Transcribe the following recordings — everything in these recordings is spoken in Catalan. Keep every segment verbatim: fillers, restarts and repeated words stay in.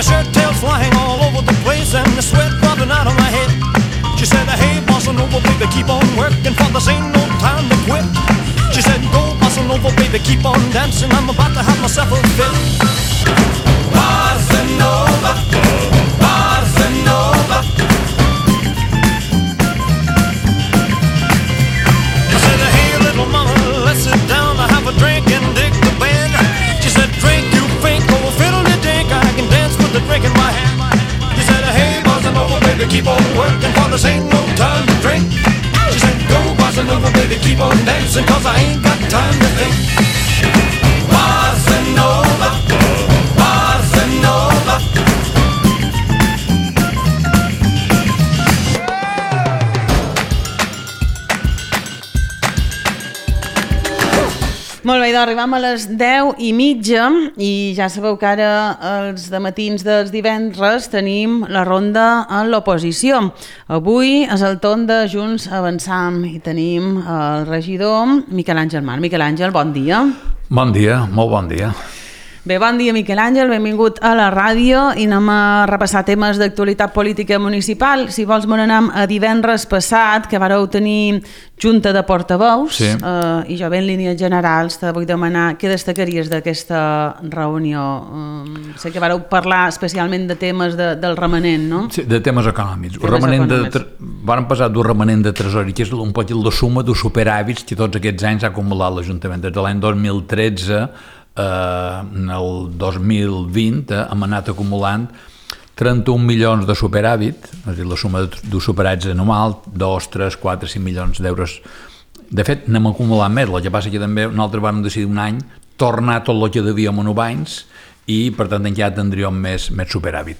my shirt tails flying all over the place and the sweat dropping out of my head. She said, hey, bossa nova, baby, keep on working, for this ain't no time to quit. She said, go, bossa nova, baby, keep on dancing, I'm about to have myself a fit. Bossa nova, bossa nova. I said, hey, little mama, let's sit down, I have a drink and dig the band. She said, drink, you think, oh, fiddle the dink, I can dance with the drink in my hand. She said, hey, bossa nova, baby, keep on working, for this ain't no time to drink. She said, go, bossa nova, baby, keep on dancing, cause I ain't got time to think. Bossa nova, bossa nova. Molt bé, doncs arribam a les deu i mitja i ja sabeu que ara els dematins dels divendres tenim la ronda en l'oposició. Avui és el torn de Junts Avançam i tenim el regidor Miquel Àngel Mar. Miquel Àngel, bon dia. Bon dia, molt bon dia. Bé, bon dia Miquel Àngel, benvingut a la ràdio i anem a repassar temes d'actualitat política municipal. Si vols me n'anem a divendres passat, que vareu tenir junta de portaveus, sí. eh, i jo bé en línies generals te vull demanar què destacaries d'aquesta reunió. Eh, sé que vareu parlar especialment de temes de, del remanent, no? Sí, de temes econòmics. Temes remanent econòmics. De, van passar d'un remanent de tresori, que és un poc la suma dels superàvits que tots aquests anys ha acumulat l'Ajuntament. Des de l'any dos mil tretze, eh, el dos mil vint, eh, hem anat acumulant trenta-un milions de superàvit, és a dir, la suma dels superàvits anual, dos, tres, quatre, cinc milions d'euros. De fet, n'hem acumulat més, el que passa que també nosaltres vam decidir un any tornar tot el que devíem en anys i, per tant, ja tindríem més, més superàvit.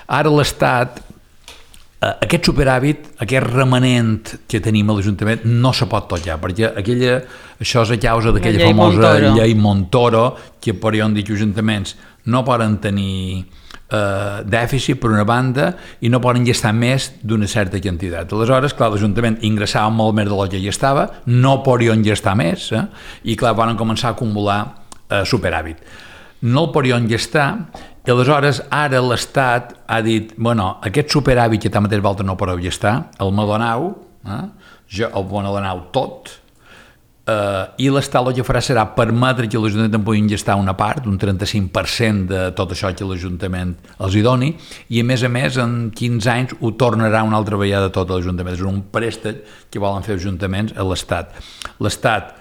Ara l'Estat, eh, aquest superàvit, aquest remanent que tenim a l'Ajuntament no se pot tocar, perquè aquella, això és a causa d'aquella famosa Montoro. llei Montoro, que per on dic ajuntaments no poden tenir eh, dèficit per una banda i no poden gastar més d'una certa quantitat. Aleshores, clar, l'Ajuntament ingressava molt més del que ja estava, no podien gastar més, eh? I clar, van començar a acumular eh, superàvit. No el podien gastar, i aleshores ara l'Estat ha dit, bueno, aquest superàvit que tanmateix vosaltres no podeu gastar, el me donau, eh? jo el me donau tot, Uh, i l'Estat el que farà serà permetre que l'Ajuntament en puguin gastar una part, un trenta-cinc per cent de tot això que l'Ajuntament els hi doni, i a més a més en quinze anys ho tornarà una altra vegada tot l'Ajuntament. És un préstec que volen fer ajuntaments a l'Estat. L'Estat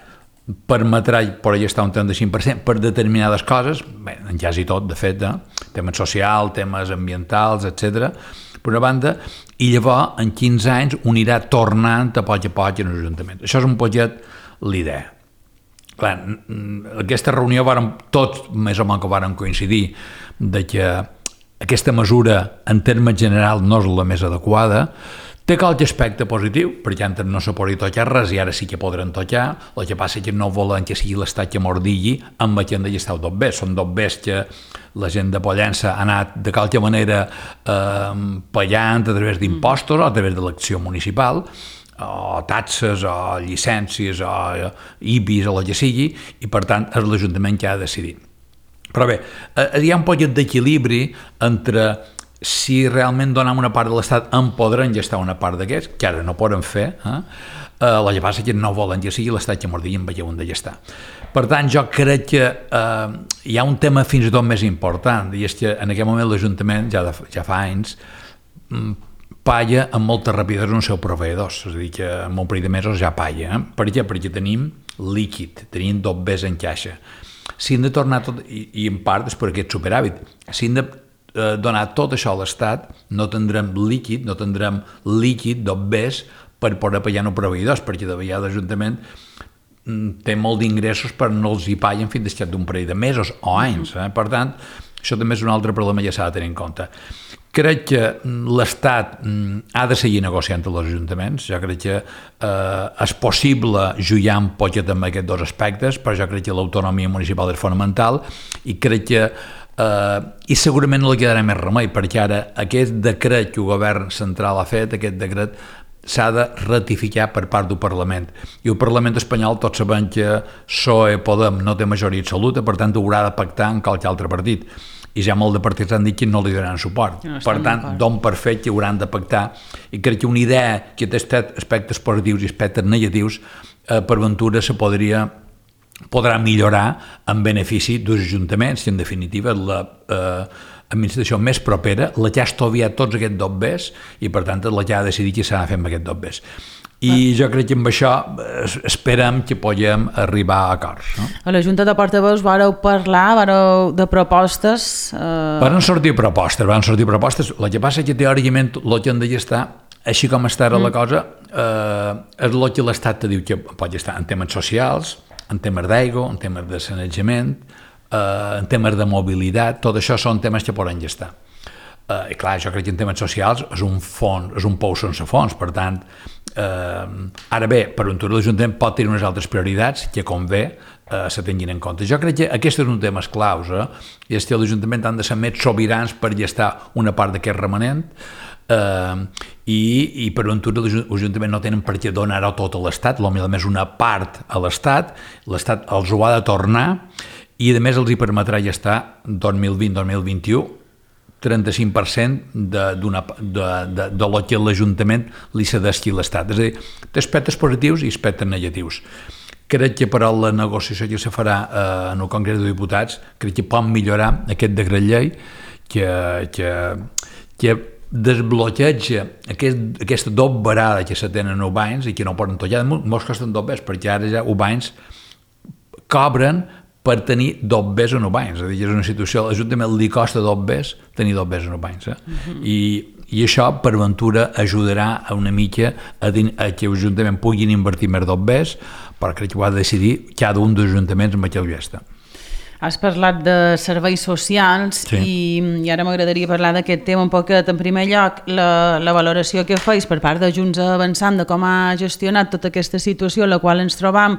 permetrà per gastar un trenta-cinc per cent per determinades coses, bé, en quasi tot, de fet, eh? Temes socials, temes ambientals, etcètera, per una banda, i llavors en quinze anys ho anirà tornant a poc a poc en els ajuntaments. Això és un poquet l'idea. Clar, aquesta reunió vàrem, tots més o menys que vàrem coincidir de que aquesta mesura en termes generals no és la més adequada. Té qualque aspecte positiu, perquè antes no se podia tocar res i ara sí que podran tocar. El que passa és que no volen que sigui l'Estat que mordigui amb el que han de estar tot bé. Són tot bé que la gent de Pollença ha anat de qualque manera eh, pagant a través d'impostos o a través de l'acció municipal, o taxes, o llicències, o I B I S, o el que sigui, i per tant és l'Ajuntament que ha de decidir. Però bé, hi ha un poc d'equilibri entre si realment donem una part de l'Estat en podran gestar una part d'aquests, que ara no poden fer, eh? El que passa és que no volen que sigui l'Estat que mordigui amb el que ho han de gestar. Per tant, jo crec que eh, hi ha un tema fins i tot més important, i és que en aquest moment l'Ajuntament, ja, de, ja fa anys, palla amb molta rapidesa els seus proveïdors, és a dir, que en un parell de mesos ja palla. Eh? Per què? Perquè tenim líquid, tenim dos bes en caixa. Si hem de tornar tot, i, i en part és per aquest superàvit, si hem de eh, donar tot això a l'Estat, no tindrem líquid, no tindrem líquid, dos bes, per poder pagar els proveïdors, perquè de vegades l'Ajuntament té molt d'ingressos però no els hi paguen fins després d'un parell de mesos o anys. Eh? Per tant, això també és un altre problema que s'ha de tenir en compte. Crec que l'Estat ha de seguir negociant amb els ajuntaments. Jo crec que eh, és possible jugar un poquet amb aquests dos aspectes, però jo crec que l'autonomia municipal és fonamental i crec que eh, i segurament no li quedarà més remei, perquè ara aquest decret que el govern central ha fet, aquest decret s'ha de ratificar per part del Parlament. I el Parlament espanyol, tots sabem que P S O E Podem no té majoria absoluta, per tant haurà de pactar amb qualque altre partit. i ja molt de partits han dit que no li donaran suport. No per tant, don per fet que hauran de pactar, i crec que una idea que té aspectes positius i aspectes negatius, eh, per ventura se podria podrà millorar en benefici dels ajuntaments, que en definitiva la eh, administració més propera, la que ha estoviat tots aquests dobbers i per tant la que ha decidit què s'ha de fer amb aquests dobbers. I jo crec que amb això esperem que puguem arribar a acords. No? A la Junta de Portaveus vareu parlar vareu de propostes? Eh... Van sortir propostes, van sortir propostes. El que passa és que teòricament el que han de gestar, així com està ara mm. la cosa, eh, és el que l'Estat te diu que pot gestar en temes socials, en temes d'aigua, en temes de sanejament, eh, en temes de mobilitat, tot això són temes que poden gestar. Uh, I clar, jo crec que en temes socials és un fons, és un pou sense fons, per tant, eh, ara bé, per un tur l'Ajuntament pot tenir unes altres prioritats que convé eh, se tinguin en compte. Jo crec que aquest és un tema claus, eh? I és que l'Ajuntament han de ser més sobirans per gestar una part d'aquest remanent, eh, i, i per un tur l'Ajuntament no tenen per què donar-ho tot a l'Estat, potser més una part a l'Estat, l'Estat els ho ha de tornar i a més els hi permetrà gestar dos mil vint dos mil vint-i-u trenta-cinc per cent de, de, de, de, de lo que l'Ajuntament li cedeixi a l'Estat. És a dir, té aspectes positius i aspectes negatius. Crec que per a la negociació que se farà eh, en el Congrés de Diputats, crec que pot millorar aquest decret llei que, que, que desbloqueja aquest, aquesta dobberada que se tenen a Ubains i que no poden tollar. Molts costen dobbers, perquè ara ja Ubains cobren per tenir dobbers en Ubains. És a dir, és una situació, a l'Ajuntament li costa dobbers tenir dobbers en Ubains. Eh? Uh-huh. I, I això, per ventura, ajudarà a una mica a, din, a que l'Ajuntament puguin invertir més dobbers, però crec que ho ha de decidir cada un dels ajuntaments amb aquell gesta. Has parlat de serveis socials sí. i, i ara m'agradaria parlar d'aquest tema un poquet. En primer lloc, la, la valoració que feis per part de Junts Avançant de com ha gestionat tota aquesta situació en la qual ens trobam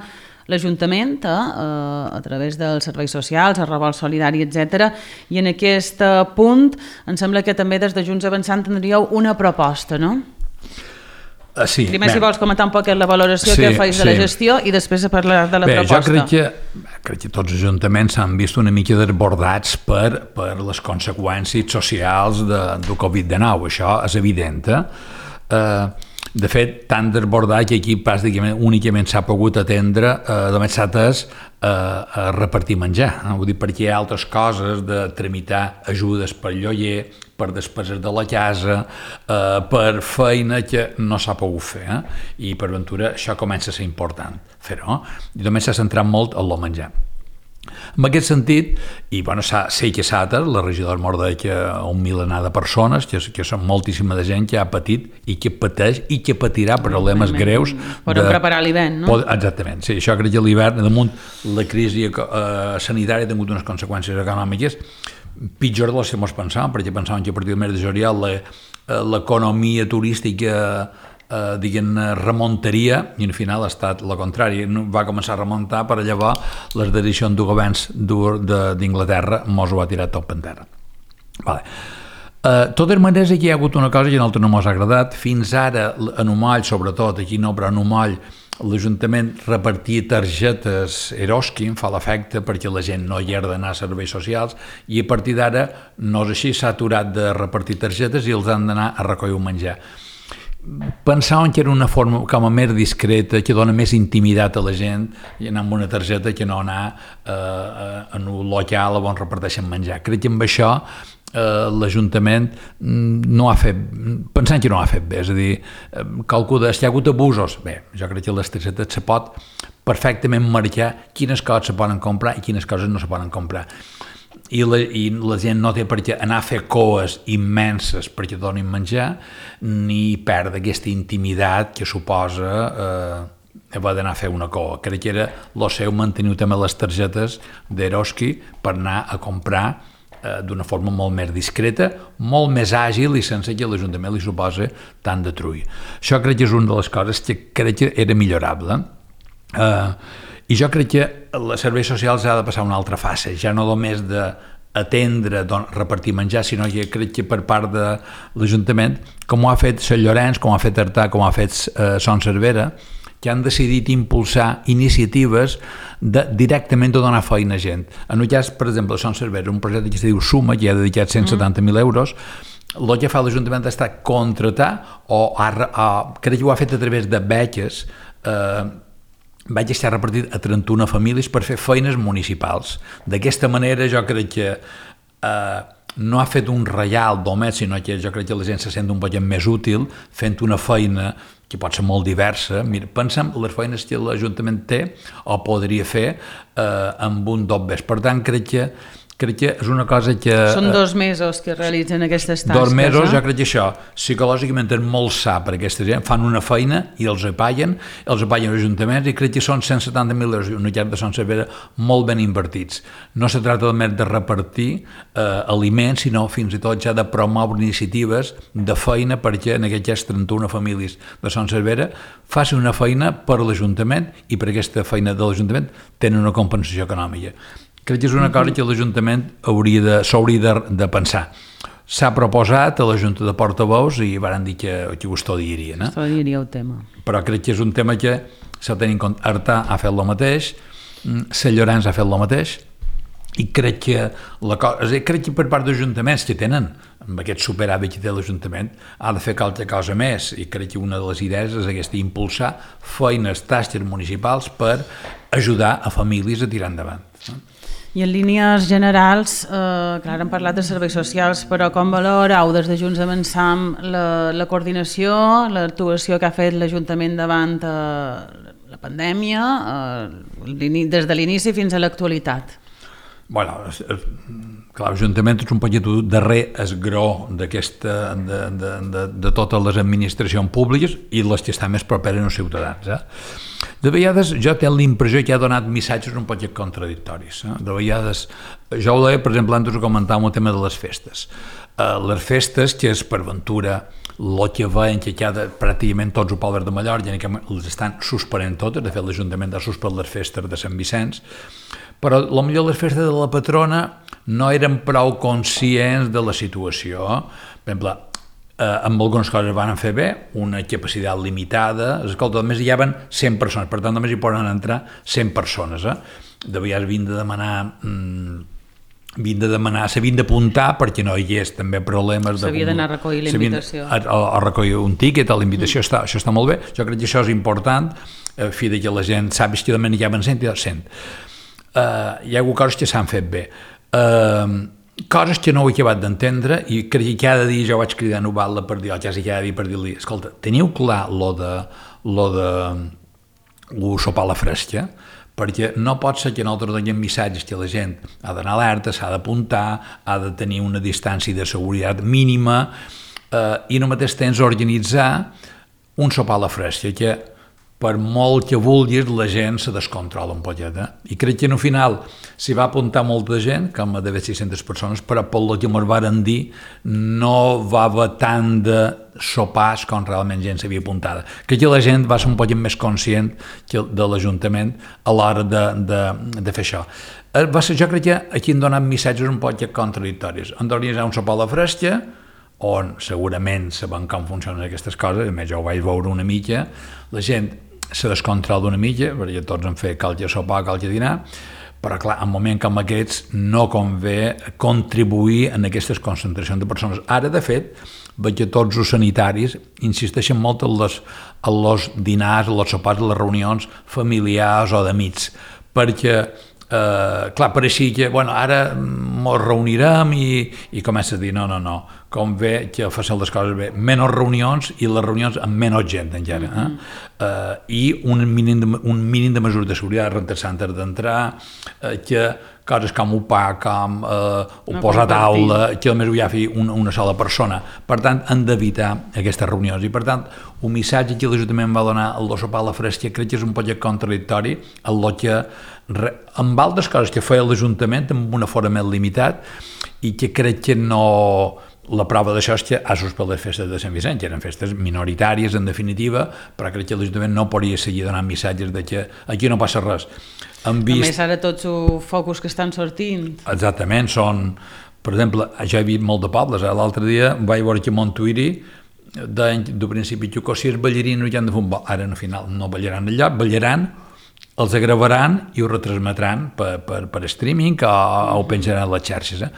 l'Ajuntament eh, a través dels serveis socials, el revolt solidari, etcètera. I en aquest punt em sembla que també des de Junts Avançant tindríeu una proposta, no? Uh, sí. Primer, bé. si vols comentar un poc la valoració sí, que feis sí. de la gestió i després a parlar de la bé, proposta. Jo crec que, crec que tots els ajuntaments s'han vist una mica desbordats per, per les conseqüències socials de, del covid dinou. Això és evident. Eh? Uh, De fet, tan desbordat que aquí pràcticament únicament s'ha pogut atendre, eh, només s'ha atès eh, a repartir menjar. Eh? Vull dir, perquè hi ha altres coses de tramitar ajudes per lloguer, per despeses de la casa, eh, per feina que no s'ha pogut fer. Eh? I per ventura això comença a ser important fer-ho. I només s'ha centrat molt en el menjar. En aquest sentit, i bueno, sé que s'ha atès, la regidora morda que un milenar de persones, que, que són moltíssima de gent que ha patit i que pateix i que patirà problemes mm, greus. Poden preparar l'hivern, no? Exactament, sí, això crec que l'hivern, damunt la crisi eh, sanitària ha tingut unes conseqüències econòmiques pitjor de les que ens pensàvem, perquè pensàvem que a partir del mes de juliol l'economia turística eh, diguem, remuntaria i al final ha estat la contrària, va començar a remuntar per llavors les decisions de governs d'Inglaterra mos ho ha tirat tot per terra. Vale. Uh, totes maneres aquí hi ha hagut una cosa que a nosaltres no mos ha agradat. Fins ara en Umoll, sobretot aquí no, però en Umoll l'Ajuntament repartia targetes Eroski, em fa l'efecte perquè la gent no hi ha d'anar a serveis socials, i a partir d'ara no és així, s'ha aturat de repartir targetes i els han d'anar a recollir un menjar. Pensàvem que era una forma com a més discreta, que dona més intimitat a la gent i anar amb una targeta que no anar eh, en un local on reparteixen menjar. Crec que amb això eh, l'Ajuntament no ha fet, pensant que no ha fet bé, és a dir, calcula, si hi ha hagut abusos, bé, jo crec que les targetes se pot perfectament marcar quines coses se poden comprar i quines coses no se poden comprar. I la, i la gent no té per què anar a fer coes immenses perquè donin menjar, ni perdre aquesta intimitat que suposa eh, haver d'anar a fer una coa. Crec que era el seu mantenir també les targetes d'Eroski per anar a comprar eh, d'una forma molt més discreta, molt més àgil i sense que l'Ajuntament li suposa tant de trull. Això crec que és una de les coses que crec que era millorable. Eh, I jo crec que els serveis socials ha de passar una altra fase, ja no només de atendre, don, repartir menjar, sinó que crec que per part de l'Ajuntament, com ho ha fet Sant Llorenç, com ho ha fet Artà, com ho ha fet eh, Son Servera, que han decidit impulsar iniciatives de directament de donar feina a gent. En un cas, per exemple, Son Servera, un projecte que es diu Suma, que ha dedicat cent setanta mil euros, el que fa l'Ajuntament està contratar, o, a, a, crec que ho ha fet a través de beques, eh, vaig estar repartit a trenta-una famílies per fer feines municipals. D'aquesta manera jo crec que eh, no ha fet un reial només, sinó que jo crec que la gent se sent un poc més útil fent una feina que pot ser molt diversa. Mira, pensa'm les feines que l'Ajuntament té o podria fer eh, amb un dobbers. Per tant, crec que crec que és una cosa que... Són dos mesos que realitzen aquestes tasques. Dos mesos, eh? Jo crec que això psicològicament és molt sa per aquesta gent, fan una feina i els apaguen, els apaguen els ajuntaments i crec que són cent setanta mil euros, una llar de Son Servera molt ben invertits. No se tracta només de repartir eh, aliments, sinó fins i tot ja de promoure iniciatives de feina perquè en aquestes trenta-una famílies de Son Servera facin una feina per l'Ajuntament i per aquesta feina de l'Ajuntament tenen una compensació econòmica. Crec que és una cosa que l'Ajuntament s'hauria de, de pensar. S'ha proposat a la Junta de Portaveus i van dir que, que ho estudiarien. Eh? Estudiaria el tema. Però crec que és un tema que s'ha de tenir en compte. Artà ha fet el mateix, Sant Llorenç ha fet el mateix, i crec que, la cosa, crec que per part dels ajuntaments que tenen, amb aquest superàvit que té l'Ajuntament, ha de fer qualque cosa més, i crec que una de les idees és aquesta, impulsar feines, tasques municipals per ajudar a famílies a tirar endavant. I en línies generals, eh, clar, hem parlat de serveis socials, però com valoreu des de Junts Avançam la, la coordinació, l'actuació que ha fet l'Ajuntament davant eh, la pandèmia, eh, des de l'inici fins a l'actualitat? Bueno, clar, l'Ajuntament és un petit darrer esgró d'aquesta, de, de, de, de totes les administracions públiques i les que estan més properes als ciutadans. Eh? De vegades jo tinc l'impressió que ha donat missatges un poc contradictoris. Eh? De vegades, jo ho deia, per exemple, antes ho comentàvem el tema de les festes. Uh, les festes, que és per ventura el que veiem que cada, pràcticament tots els pobles de Mallorca les estan suspenent totes, de fet l'Ajuntament ha suspès les festes de Sant Vicenç, però potser les festes de la patrona no eren prou conscients de la situació. Per exemple, eh, amb algunes coses van fer bé, una capacitat limitada, escolta, només hi havia cent persones, per tant només hi poden entrar cent persones. Eh? De vegades havien de demanar... Mm, havien de demanar, s'havien d'apuntar perquè no hi hagués també problemes... S'havia d'anar a recollir la invitació. A, a, a recollir un tíquet, a la invitació, mm. està, això està molt bé. Jo crec que això és important, a fi de que la gent sàpiga que només hi havia cent i cent. Uh, hi ha hagut coses que s'han fet bé. Uh, coses que no ho he acabat d'entendre i crec que cada dia jo vaig cridar a Noval·la per dir, o quasi cada dia per dir-li, escolta, teniu clar lo de, lo de lo sopar a la fresca? Perquè no pot ser que nosaltres donem missatges que la gent ha d'anar alerta, s'ha d'apuntar, ha de tenir una distància de seguretat mínima eh, i no mateix temps organitzar un sopar a la fresca que per molt que vulguis la gent se descontrola un poquet. Eh? I crec que al final s'hi va apuntar molta gent, com d'haver sis-centes persones, però pel que ens varen dir no va haver tant de sopars com realment gent s'havia apuntada. Crec que la gent va ser un poc més conscient de l'Ajuntament a l'hora de, de, de fer això. Va ser, jo crec que aquí han donat missatges un poc contradictoris. Han d'organitzar un sopar a la fresca, on segurament sabem com funcionen aquestes coses, a més jo ho vaig veure una mica, la gent se descontrola una mica, perquè tots han fet qualque sopar, qualque dinar, però clar, en moments com aquests no convé contribuir en aquestes concentracions de persones. Ara, de fet, veig que tots els sanitaris insisteixen molt en els, en els dinars, en els sopars, en les reunions familiars o d'amics, perquè Uh, clar, pareixia que, bueno, ara ens reunirem i, i comença a dir, no, no, no, com bé que facin les coses bé, menys reunions i les reunions amb menys gent encara, eh? Mm-hmm. uh, i un mínim, de, un mínim de mesures de seguretat, rentar-se antes d'entrar, uh, que coses com un pa, com uh, un no posar taula, que només ho hi ha una, una sola persona. Per tant, han d'evitar aquestes reunions. I per tant, un missatge que l'Ajuntament va donar al sopar a la fresca crec que és un poc contradictori en el que amb altres coses que feia l'Ajuntament amb un aforament limitat i que crec que no... La prova d'això és que ha suspès les festes de Sant Vicenç, que eren festes minoritàries en definitiva, però crec que l'Ajuntament no podria seguir donant missatges de que aquí no passa res. han vist... A més, ara tots els focus que estan sortint. Exactament, són... Per exemple, ja he vist molt de pobles. Eh? L'altre dia vaig veure que a Montuïri, de, de principi, que si és ballarino ja han de fer un ball. Ara, al final, no ballaran allà, ballaran, els agravaran i ho retransmetran per, per, per streaming o, o ho penjaran a les xarxes. Eh?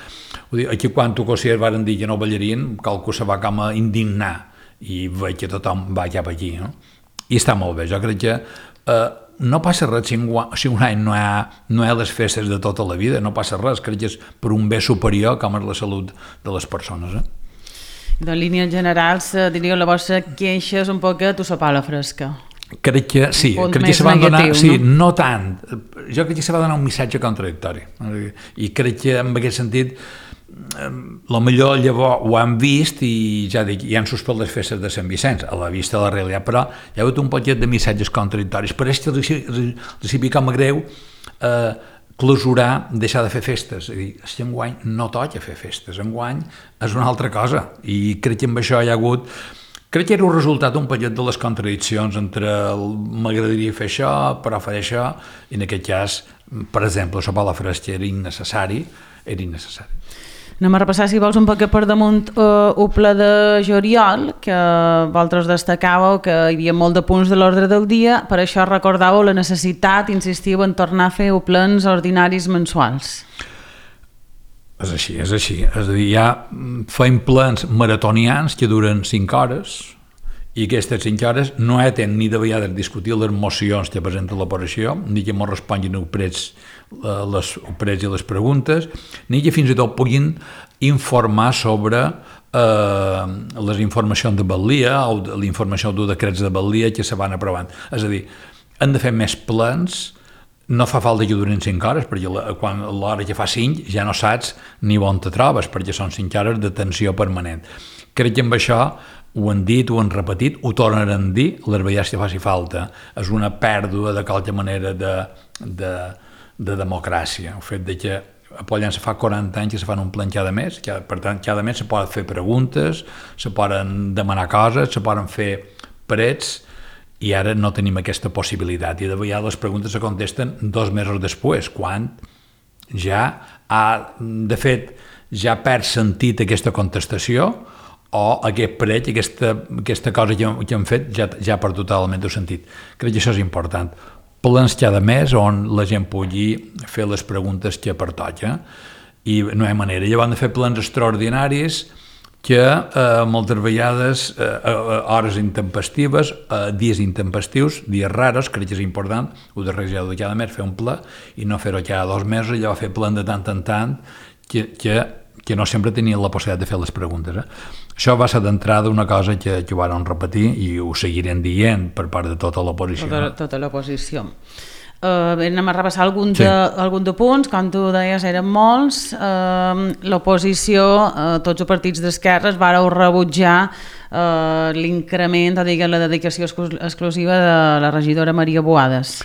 Vull dir, aquí quan Tocosiers varen dir que no ballarien, qualcú se va com a indignar i veig que tothom va cap aquí. No? I està molt bé. Jo crec que eh, no passa res si un, si un any no hi, ha, no hi ha les festes de tota la vida, no passa res. Crec que és per un bé superior com és la salut de les persones. Eh? De línies generals, diríeu, la vostra queixa és un poc que tu sopar a la fresca. Crec que sí, crec que se van donar, no? Sí, no tant. Jo crec que se va donar un missatge contradictori. I crec que en aquest sentit la millor llavors ho han vist i ja dic, ja han suspès les festes de Sant Vicenç a la vista de la realitat, però hi ha hagut un paquet de missatges contradictoris. Per això els hi com a greu eh, clausurar, deixar de fer festes. És a dir, si enguany no toca fer festes, enguany és una altra cosa. I crec que amb això hi ha hagut... Crec que era un resultat un paquet de les contradiccions entre m'agradaria fer això, però fer això, i en aquest cas, per exemple, sopar a la fresca era innecessari, era innecessari. Anem a repassar, si vols, un poc per damunt uh, un ple de juliol, que vosaltres destacàveu que hi havia molt de punts de l'ordre del dia, per això recordàveu la necessitat, insistiu, en tornar a fer plens ordinaris mensuals. És així, és així. És a dir, ja fem plens maratonians que duren cinc hores i aquestes cinc hores no eten ni de vegades discutir les mocions que presenta l'operació, ni que ens responguin els prets, les prets i les preguntes, ni que fins i tot puguin informar sobre eh, les informacions de Batlia o la informació dels decrets de Batlia que se van aprovant. És a dir, han de fer més plens. No fa falta que durin cinc hores, perquè la, quan l'hora que fa cinc ja no saps ni on te trobes, perquè són cinc hores de tensió permanent. Crec que amb això ho han dit, ho han repetit, ho tornaran a dir, les vegades que faci falta. És una pèrdua de qualque manera de, de, de democràcia. El fet de que a Pollença fa quaranta anys que se fan un plen cada mes, que, per tant, cada mes se poden fer preguntes, se poden demanar coses, se poden fer parets, i ara no tenim aquesta possibilitat i de vegades les preguntes se contesten dos mesos després, quan ja ha, de fet, ja perd sentit aquesta contestació o aquest prec, aquesta, aquesta cosa que, que hem fet ja, ja per totalment el sentit. Crec que això és important. Plens cada mes on la gent pugui fer les preguntes que pertoca i no hi ha manera. Llavors han de fer plens extraordinaris que eh, moltes vegades, eh, hores intempestives, eh, dies intempestius, dies raros, crec que és important, ho de regisar de cada mes, fer un ple, i no fer-ho cada dos mesos, i llavors fer ple de tant en tant, que, que, que no sempre tenien la possibilitat de fer les preguntes. Eh? Això va ser d'entrada una cosa que, que ho van repetir i ho seguirem dient per part de tota l'oposició. Tota, tota l'oposició. Uh, anem a repassar algun de, sí. algun de punts, com tu deies eren molts. Uh, l'oposició, uh, tots els partits d'esquerres vareu rebutjar uh, l'increment, o diguem, la dedicació exclusiva de la regidora Maria Boades.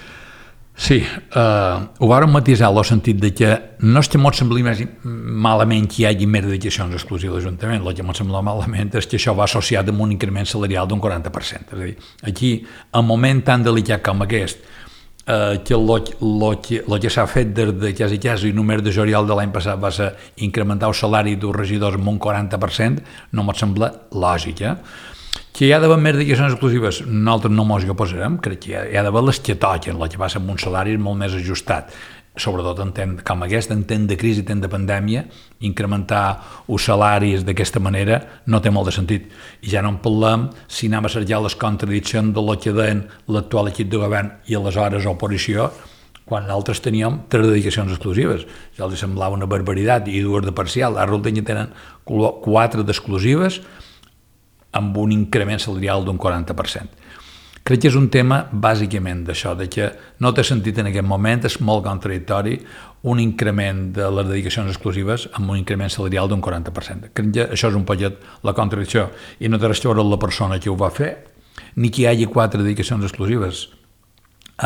Sí, eh, ho vàrem matisar en el sentit de que no és que m'ho sembli més malament que hi hagi més dedicacions exclusives a l'Ajuntament, el que m'ho sembla malament és que això va associat amb un increment salarial d'un quaranta per cent. És a dir, aquí, en un moment tan delicat com aquest, eh, que el que s'ha fet des de quasi quasi només de juliol de l'any passat va ser incrementar el salari dels regidors amb un quaranta per cent, no m'ho sembla lògic, eh? Que hi ha d'haver més dedicacions exclusives, nosaltres no mos hi oposarem, crec que hi ha d'haver les que toquen, la que passa amb un salari molt més ajustat, sobretot en temps com aquest, en temps de crisi, en temps de pandèmia, incrementar els salaris d'aquesta manera no té molt de sentit. I ja no en parlem si anem a cercar les contradiccions de lo que deien l'actual equip de govern i aleshores oposició, quan nosaltres teníem tres dedicacions exclusives. Ja els semblava una barbaritat i dues de parcial, ara resulta que tenen quatre d'exclusives, amb un increment salarial d'un quaranta per cent. Crec que és un tema bàsicament d'això, de que no té sentit en aquest moment, és molt contradictori un increment de les dedicacions exclusives amb un increment salarial d'un quaranta per cent. Crec que això és un poquet la contradicció i no té res a veure la persona que ho va fer, ni que hi hagi quatre dedicacions exclusives.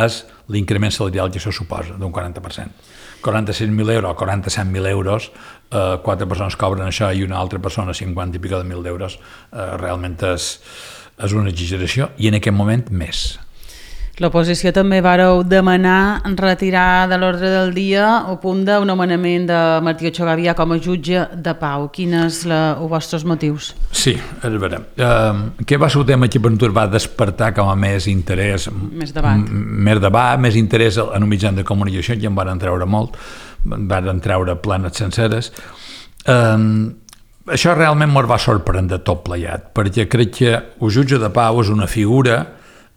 És l'increment salarial que això suposa, d'un quaranta per cent. quaranta-sis mil euros o quaranta-set mil euros, eh, quatre persones cobren això i una altra persona cinquanta i pico de mil d'euros, eh, realment és, és una exageració i en aquest moment més. L'oposició també vareu demanar retirar de l'ordre del dia el punt del nomenament de Martí Ochagavia com a jutge de pau. Quins són els vostres motius? Sí, a veure, uh, què va ser el tema que per nosaltres va despertar com a més interès, més debat, més debat, més interès en un mitjà de comunicació, que en van treure molt, van treure planes senceres. Uh, això realment ens va sorprendre tot pleiat, perquè crec que el jutge de pau és una figura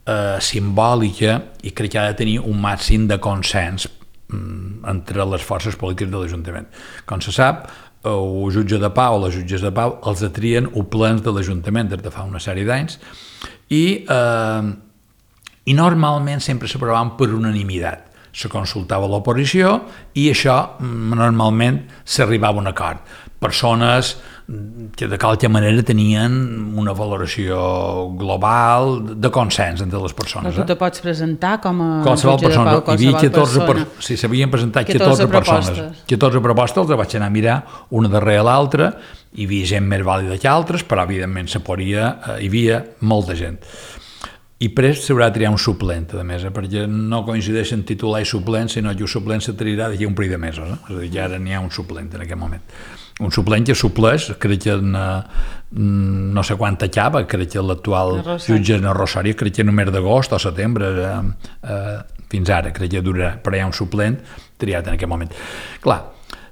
Eh, simbòlica i crec que ha de tenir un màxim de consens mm, entre les forces polítiques de l'Ajuntament. Com se sap, el jutge de pau o les jutges de pau els atrien els plens de l'Ajuntament des de fa una sèrie d'anys i, eh, i normalment sempre s'aprovaven per unanimitat. Se consultava l'oposició i això normalment s'arribava a un acord. Persones que de qualque manera tenien una valoració global de consens entre les persones. Però tu te pots presentar com a qualsevol jutge persona, de pau, qualsevol hi havia catorze persona. Per, si s'havien presentat catorze catorze persones. catorze propostes, els vaig anar a mirar una darrere l'altra, hi havia gent més vàlida que altres, però evidentment se podia, eh, hi havia molta gent. I prest s'haurà de triar un suplent, a més, eh, perquè no coincideixen titular i suplent, sinó que el suplent se triarà d'aquí un parell de mesos. Eh? És a dir, ja ara n'hi ha un suplent en aquest moment. Un suplent que supleix, crec que en, no sé quant acaba, crec que l'actual jutge en Rosario, crec que només d'agost o setembre, eh, eh, fins ara, crec que durarà, però hi ha un suplent triat en aquest moment. Clar,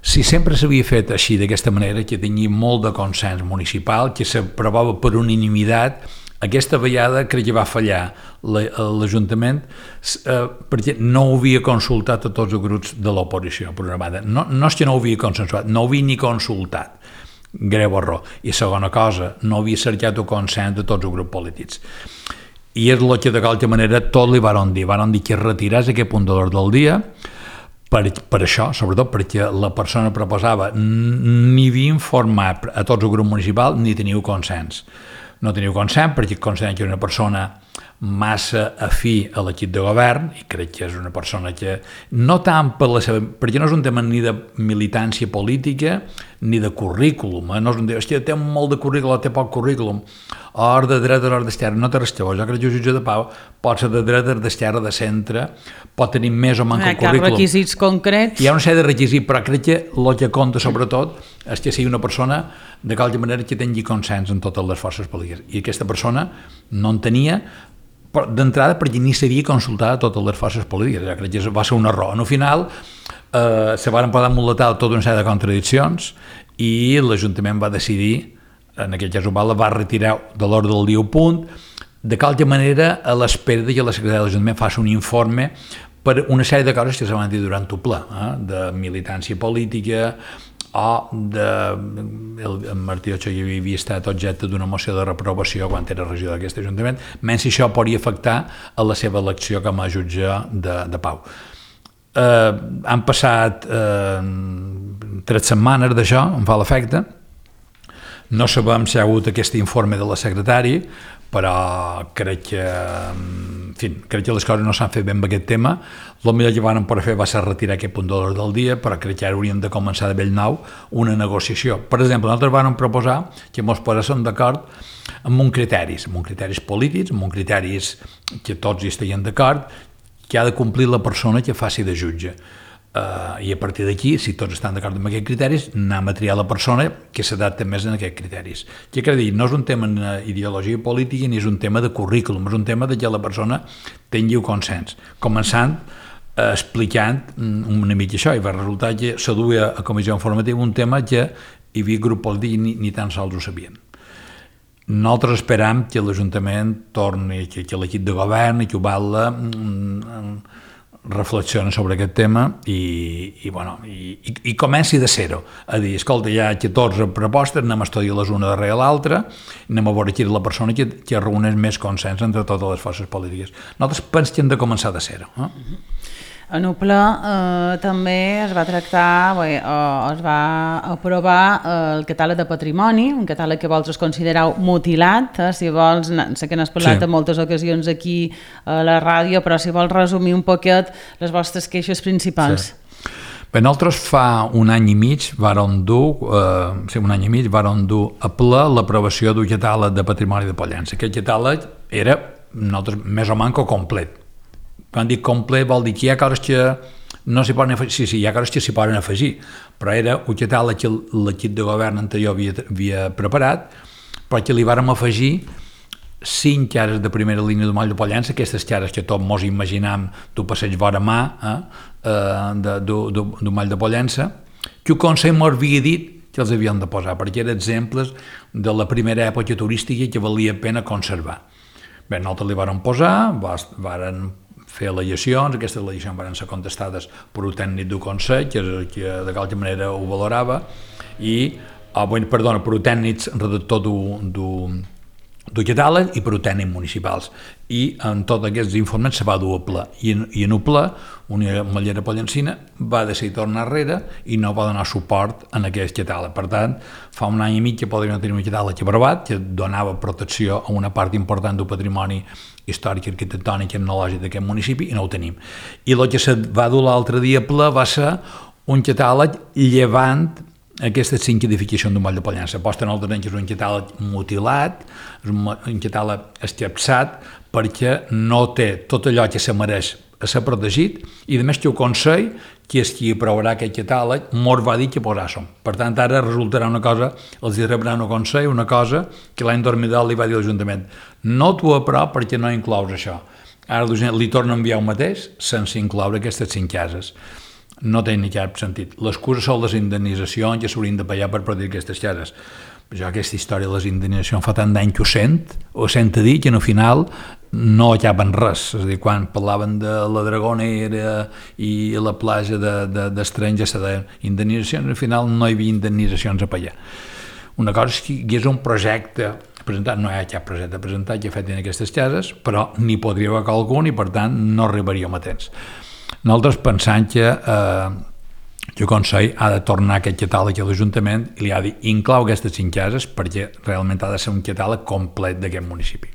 si sempre s'havia fet així, d'aquesta manera, que tenia molt de consens municipal, que s'aprovava per unanimitat, aquesta vegada crec que va fallar l'Ajuntament eh, perquè no ho havia consultat a tots els grups de l'oposició, per una banda. No, no és que no ho havia consensuat, no ho havia ni consultat. Greu error. I segona cosa, no havia cercat el consens de tots els grups polítics. I és el que de qualque manera tot li van dir. Van dir que retiràs aquest punt de l'ordre del dia per, per això, sobretot perquè la persona proposava ni havia informat a tots els grups municipals ni teniu consens. No teniu consens perquè considerem que és una persona massa afí a l'equip de govern i crec que és una persona que no tant per la seva, perquè no és un tema ni de militància política ni de currículum, eh? No és un tema, és que té molt de currículum, té poc currículum, or de dreta, or d'esquerra, no té res que veure. Jo crec que el jutge de pau pot ser de dreta, d'esquerra, de centre, pot tenir més o manca el currículum. Hi ha requisits concrets. Hi ha una sèrie de requisits, però crec que el que compta sobretot és que sigui una persona de qualque manera que tingui consens en totes les forces polítiques. I aquesta persona no en tenia d'entrada perquè ni s'havia consultat a totes les forces polítiques. Jo crec que va ser un error. En el final eh, se van posar muletar tota una sèrie de contradiccions i l'Ajuntament va decidir, en aquest cas Oval, va retirar de l'ordre del dia un punt, de qualque manera a l'espera que la secretària de l'Ajuntament faci un informe per una sèrie de coses que se van dir durant el ple, eh, de militància política o de... El, el Martí Ochagavia havia estat objecte d'una moció de reprovació quan era regidor d'aquest Ajuntament, menys si això podria afectar a la seva elecció com a jutge de, de pau. Eh, han passat eh, tres setmanes d'això, em fa l'efecte. No sabem si hi ha hagut aquest informe de la secretària, però crec que, en fi, crec que les coses no s'han fet ben amb aquest tema. El millor que van poder fer va ser retirar aquest punt de l'ordre del dia, però crec que ara hauríem de començar de bell nou una negociació. Per exemple, nosaltres vam proposar que ens poséssim d'acord amb uns criteris, amb uns criteris polítics, amb uns criteris que tots hi estiguin d'acord, que ha de complir la persona que faci de jutge. Uh, I a partir d'aquí, si tots estan d'acord amb aquests criteris, anem a triar la persona que s'adapta més en aquests criteris. Què cal dir? No és un tema d'ideologia política ni és un tema de currículum, és un tema de que la persona tingui un consens. Començant uh, explicant una mica això, i va resultar que s'aduia a comissió informativa un tema que hi havia grup polític i ni, ni tan sols ho sabien. Nosaltres esperam que l'Ajuntament torni, que, que l'equip de govern i que ho val mm, reflexiona sobre aquest tema i, i, bueno, i, i, i comenci de zero, a dir, escolta, hi ha catorze propostes, anem a estudiar-les una darrere l'altra, anem a veure qui és la persona que, que reuneix més consens entre totes les forces polítiques. Nosaltres pensem que hem de començar de zero. Eh? En el ple eh, també es va tractar, bé, eh, es va aprovar eh, el catàleg de patrimoni, un catàleg que vosaltres considereu mutilat, eh, si vols, sé que n'has parlat sí. en moltes ocasions aquí a la ràdio, però si vols resumir un poquet les vostres queixes principals. Sí. Bé, nosaltres fa un any i mig vàrem dur, eh, sí, un any i mig vàrem dur a ple l'aprovació d'un catàleg de patrimoni de Pollença. Aquest catàleg era nosaltres, més o manco complet. Quan dic complet vol dir que hi ha coses que no s'hi poden afegir, sí, sí, hi ha coses que s'hi poden afegir, però era un catàleg que l'equip de govern anterior havia, havia preparat, però que li vàrem afegir cinc cares de primera línia d'un moll de Pollença, aquestes cares que tots mos imaginam d'un passeig vora mà eh, d'un moll de Pollença, que el Consell mos havia dit que els havien de posar, perquè eren exemples de la primera època turística que valia pena conservar. Bé, nosaltres li vàrem posar, vàrem fer al·legacions, aquestes al·legacions van ser contestades per un tècnic del Consell, que, que de qualque manera ho valorava, i, oh, bueno, perdona, per un tècnic redactor d'un del catàleg i per un tècnic municipals. I en tots aquests informes se va dur a ple. I en, i en el ple, una mallera pollencina va decidir tornar enrere i no va donar suport en aquest catàleg. Per tant, fa un any i mig que podríem tenir un catàleg aprovat, que donava protecció a una part important del patrimoni històric, arquitectònic i etnològic d'aquest municipi, i no ho tenim. I el que se va dur l'altre dia a ple va ser un catàleg llevant aquestes cinc edificacions d'un moll de Pollença. Posta en altres anys és un catàleg mutilat, és un catàleg escapçat, perquè no té tot allò que se mereix a ser protegit, i a més que el Consell, que és qui aprovarà aquest catàleg, mos va dir que posàssim. Per tant, ara resultarà una cosa, els rebran al Consell, una cosa que l'any dos mil deu li va dir l'Ajuntament: no t'ho aprov perquè no inclous això. Ara li torna a enviar el mateix sense incloure aquestes cinc cases. No té ni cap sentit. L'excusa són les indemnitzacions que s'haurien de pagar per protegir aquestes cases. Jo aquesta història de les indemnitzacions fa tant d'any que ho sent, ho sent a dir que al final no acaben res. És a dir, quan parlaven de la Dragonera i la platja d'Estrenys, de, de, de indemnitzacions, al final no hi havia indemnitzacions a pagar. Una cosa és que hi és un projecte presentat, no hi ha cap projecte presentat que fet en aquestes cases, però n'hi podria haver algun i per tant no arribaríem a temps. Nosaltres pensant que eh, el Consell ha de tornar aquest catàleg a l'Ajuntament i li ha de dir inclou aquestes cinc cases perquè realment ha de ser un catàleg complet d'aquest municipi.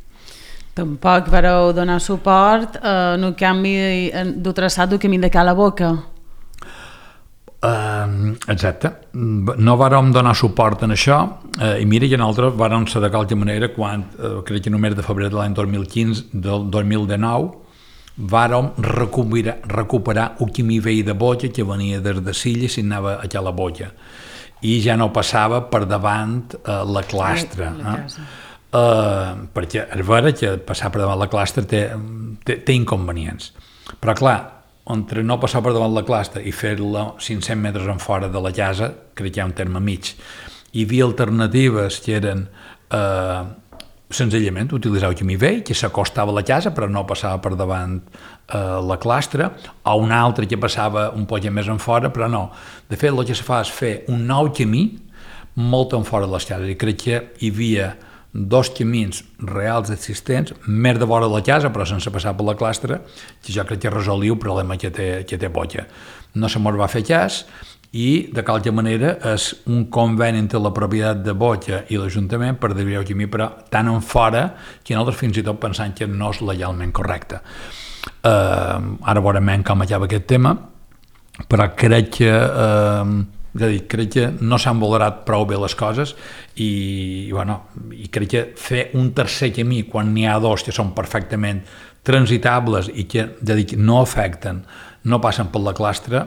Tampoc vareu donar suport eh, en el canvi del traçat del camí de Cala Boca. Uh, exacte. No vàrem donar suport en això uh, i mira que nosaltres vàrem ser de qualque manera quan, uh, crec que només de febrer de l'any dos mil quinze, del dos mil dinou, vàrem recuperar, recuperar un camí vell de Boja que venia des de Silla i s'anava a Cala Boja i ja no passava per davant uh, la clastra. Eh? Uh, perquè és vera que passar per davant la clastra té, té, té inconvenients. Però clar, entre no passar per davant la clastra i fer-la cinc-cents metres en fora de la casa, crec que hi ha un terme mig. Hi havia alternatives que eren eh, senzillament utilitzar el camí vell, que s'acostava a la casa però no passava per davant eh, la clastra, o un altre que passava un poc més en fora, però no. De fet, el que se fa és fer un nou camí molt en fora de les cases, i crec que hi havia dos camins reals existents, més de vora de la casa, però sense passar per la clastra, que jo crec que resolia el problema que té, que té Boja. No se mos va fer cas, i de qualque manera és un conveni entre la propietat de Boja i l'Ajuntament per desviar el camí, però tan en fora que nosaltres fins i tot pensant que no és legalment correcte. Uh, ara veurem com acaba aquest tema, però crec que uh, és a dir, crec que no s'han valorat prou bé les coses i, i, bueno, i crec que fer un tercer camí quan n'hi ha dos que són perfectament transitables i que, ja dic, no afecten, no passen per la clastra,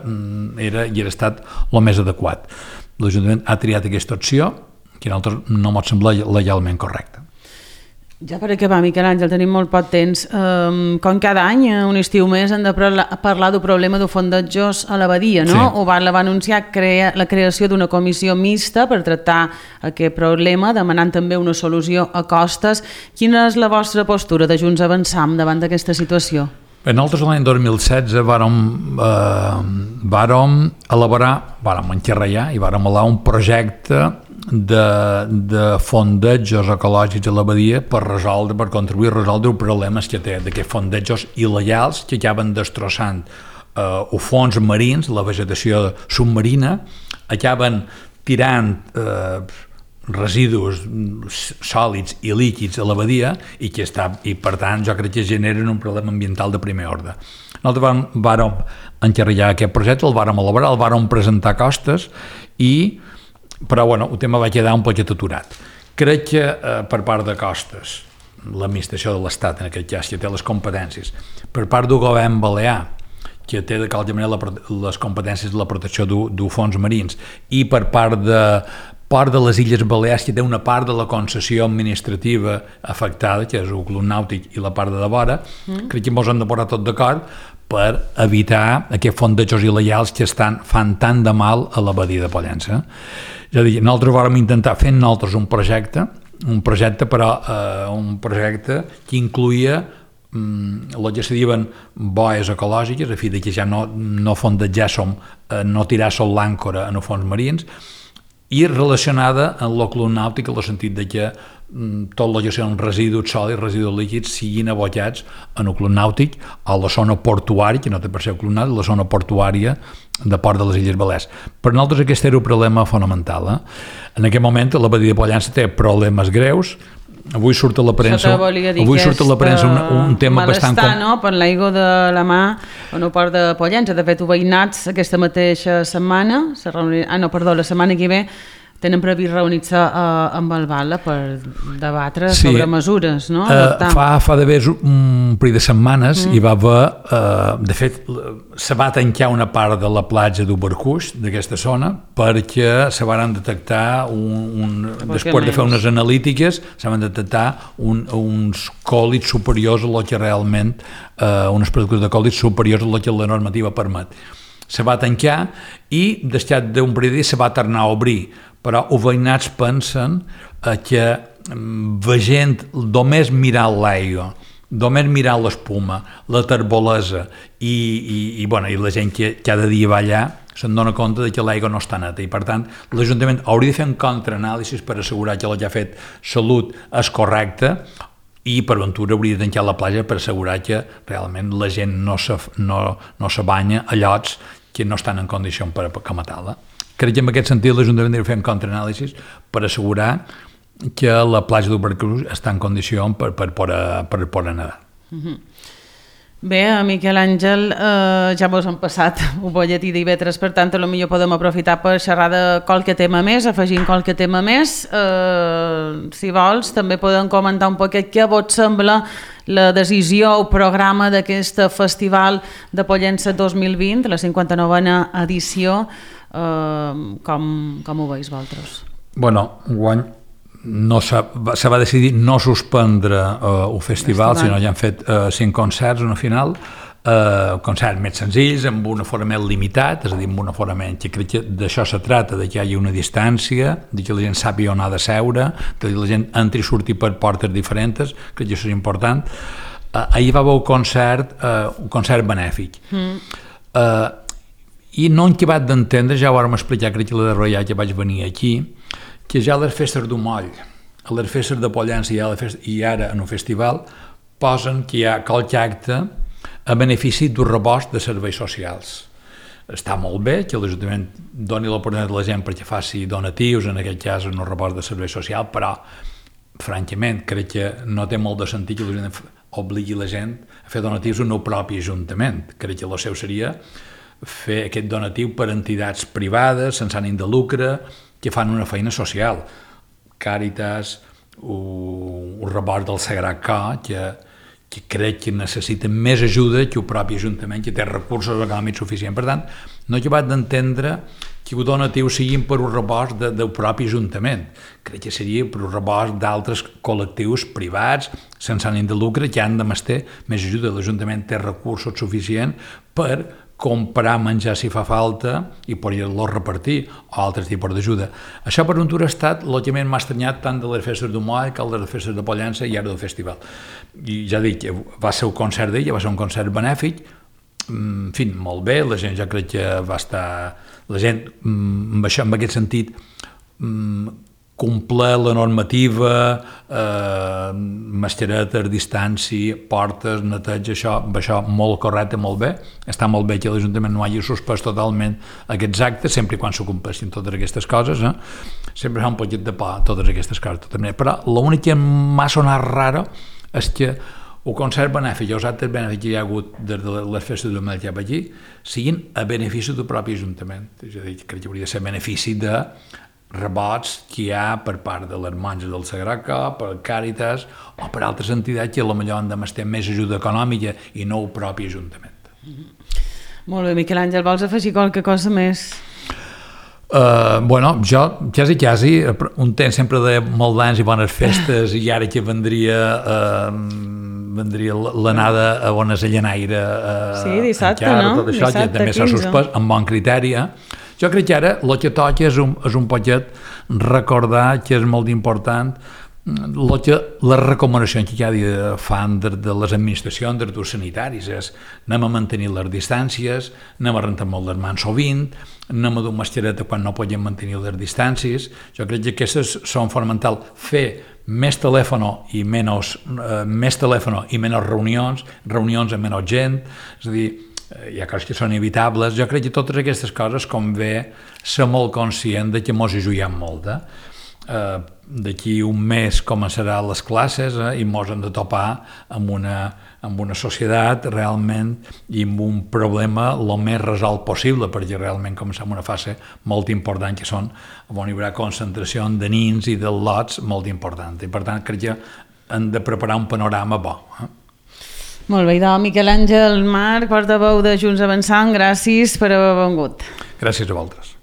era i era estat el més adequat. L'Ajuntament ha triat aquesta opció que a nosaltres no ens sembla legalment correcta. Ja per acabar, Miquel Àngel, tenim molt poc temps. Um, com cada any, un estiu més, hem de parlar del problema de fondejos a l'abadia, no? Sí. Obarla va anunciar crea, la creació d'una comissió mixta per tractar aquest problema, demanant també una solució a costes. Quina és la vostra postura de Junts Avançam davant d'aquesta situació? Bé, nosaltres l'any dos mil setze vàrem, eh, vàrem elaborar, vàrem encarregar i vàrem elaborar un projecte de, de fondejos ecològics a l'abadia per resoldre, per contribuir a resoldre els problemes que té d'aquests fondejos il·legals que acaben destrossant eh, els fons marins, la vegetació submarina, acaben tirant eh, residus sòlids i líquids a l'abadia i, que està, i per tant jo crec que generen un problema ambiental de primer ordre. Nosaltres vam, vàrem encarregar aquest projecte, el vàrem elaborar, el vàrem presentar costes i però bueno, el tema va quedar un poc aturat. Crec que eh, per part de costes l'administració de l'Estat, en aquest cas, que té les competències, per part del govern balear, que té de qualsevol manera les competències de la protecció dels fons marins, i per part de part de les Illes Balears, que té una part de la concessió administrativa afectada, que és el Club Nàutic i la part de devora, mm. crec que ens hem de posar tot d'acord per evitar aquests fondejos il·legals que estan, fan tant de mal a la badia de Pollença. És a dir, nosaltres vam intentar fer nosaltres un projecte, un projecte però eh, un projecte que incluïa mm, el que se diuen boies ecològiques, a fi de que ja no, no fondejar som, eh, no tirar sol l'àncora en els fons marins, i relacionada amb el club nàutic en el sentit de que mm, tot el que són residus sòlids, residus líquids siguin abocats en el club nàutic a la zona portuària, que no té per ser el club nàutic, la zona portuària de Port de les Illes Balears. Per nosaltres aquest era un problema fonamental. Eh? En aquest moment la badia de Pollença té problemes greus. Avui surt a la premsa, avui surt a la premsa un, un tema bastant... Malestar, no?, per l'aigua de la mà en el port de Pollença. De fet, ho veïnats aquesta mateixa setmana, reunir... ah, no, perdó, la setmana que ve, tenen previst reunir-se uh, amb el Bala per debatre sí. sobre mesures, no? Uh, fa fa d'haver un parell de setmanes mm. hi va haver, uh, de fet, se va tancar una part de la platja d'Ubercuix, d'aquesta zona, perquè se van detectar, un, un, després de fer unes analítiques, se van detectar un, uns còlids superiors a lo que realment, uh, unes partícules de còlids superiors a lo que la normativa permet. Se va tancar i, després d'un parell de dies, se va tornar a obrir, però els veïnats pensen eh, que veient només mirar l'aigua, només mirar l'espuma, la terbolesa i, i, i, bueno, i la gent que cada dia va allà se'n dona compte de que l'aigua no està neta i per tant l'Ajuntament hauria de fer un contraanàlisi per assegurar que el que ha fet Salut és correcte i per ventura hauria de tancar la platja per assegurar que realment la gent no se, no, no se banya a llocs que no estan en condició per, per com a tal. Crec que en aquest sentit l'Ajuntament hauria de fer un contraanàlisi per assegurar que la platja d'Ubercuix està en condició per, per, per, per, per nedar. Mm-hmm. Bé, Miquel Àngel, eh, ja mos han passat un bolletí d'Ivetres, per tant, potser podem aprofitar per xerrar de qualque tema més, afegint qualque tema més. Eh, si vols, també podem comentar un poc què vos sembla la decisió o programa d'aquest Festival de Pollença dos mil vint, la cinquanta-novena edició. Uh, com, com ho veus vosaltres? Bueno, guany no se, se va decidir no suspendre uh, el festival, festival, sinó ja han fet uh, cinc concerts, una final, uh, concerts més senzills, amb un aforament limitat, és a dir, amb un aforament que crec que d'això se trata, de que hi hagi una distància, de que la gent sàpiga on ha de seure, de que la gent entri i surti per portes diferents, crec que això és important. Uh, ahir va haver un concert, uh, un concert benèfic. Mm. Uh, I no hem acabat d'entendre, ja ho vam explicar, crec que la darrera que vaig venir aquí, que ja les festes d'un moll, a les festes de Pollença i, festa, i ara en un festival, posen que hi ha qualque acte a benefici d'un rebost de serveis socials. Està molt bé que l'Ajuntament doni l'oportunitat a la gent perquè faci donatius, en aquest cas en un rebost de serveis social, però, francament, crec que no té molt de sentit que l'Ajuntament obligui la gent a fer donatius en el propi Ajuntament. Crec que el seu seria fer aquest donatiu per entitats privades sense ànim de lucre que fan una feina social. Càritas, un rebot del Sagrat Cor, que, que crec que necessiten més ajuda que el propi Ajuntament, que té recursos econòmics suficients. Per tant, no he acabat d'entendre que els donatius siguin per un rebost de, del propi Ajuntament. Crec que seria per un rebost d'altres col·lectius privats, sense ànim de lucre, que han de mestir més ajuda. L'Ajuntament té recursos suficients per comprar menjar si fa falta i poder-lo repartir o altres tipus d'ajuda. Això per ventura ha estat el que més m'ha estranyat tant de les festes d'un moll que de les festes de Pollença i ara del festival. I ja dic, va ser un concert d'ella, va ser un concert benèfic, en fi, molt bé, la gent ja crec que va estar... La gent, amb això, en aquest sentit, complir la normativa, eh, mascaretes, distància, portes, neteig, això, això molt correcte, molt bé. Està molt bé que l'Ajuntament no hagi suspès totalment aquests actes, sempre i quan s'ho compleixin totes aquestes coses. Eh? Sempre fa un poquet de por totes aquestes coses. Però l'únic que m'ha sonat raro és que el concert benèfic i els actes benèfics que hi ha hagut des de les festes de Mel cap aquí siguin a benefici del propi Ajuntament. És a dir, crec que hauria de ser benefici de rebots que hi ha per part de les monges del Sagrat Cor, per Càritas o per altres entitats que potser han de mestir més ajuda econòmica i no el propi Ajuntament. Molt bé, Miquel Àngel, vols afegir qualque cosa més? Uh, bueno, jo quasi quasi un temps sempre de molt d'anys i bones festes i ara que vendria uh, vendria l'anada a Bones a Llenaire uh, sí, dissabte, encara, no? tot això Dissabte, que també s'ha suspès amb bon criteri. Jo crec que ara el que toca és un, és un poquet recordar que és molt important el que, les recomanacions que cada dia fan de, de les administracions, dels durs sanitaris, és anem a mantenir les distàncies, anem a rentar molt les mans sovint, anem a dur mascareta quan no podem mantenir les distàncies. Jo crec que aquestes són fonamentals. Fer més telèfon i menys, eh, més telèfon i menys reunions, reunions amb menys gent, és a dir, hi ha coses que són evitables. Jo crec que totes aquestes coses convé ser molt conscient de que mos hi juguem molt. Eh? Uh, d'aquí un mes començaran les classes eh, i mos hem de topar amb una, amb una societat realment i amb un problema el més resolt possible, perquè realment comencem una fase molt important que són on hi haurà concentració de nins i de lots molt important i per tant crec que hem de preparar un panorama bo. Eh? Molt bé, doncs Miquel Àngel Marc, portaveu de Junts Avançant, gràcies per haver vengut. Gràcies a vosaltres.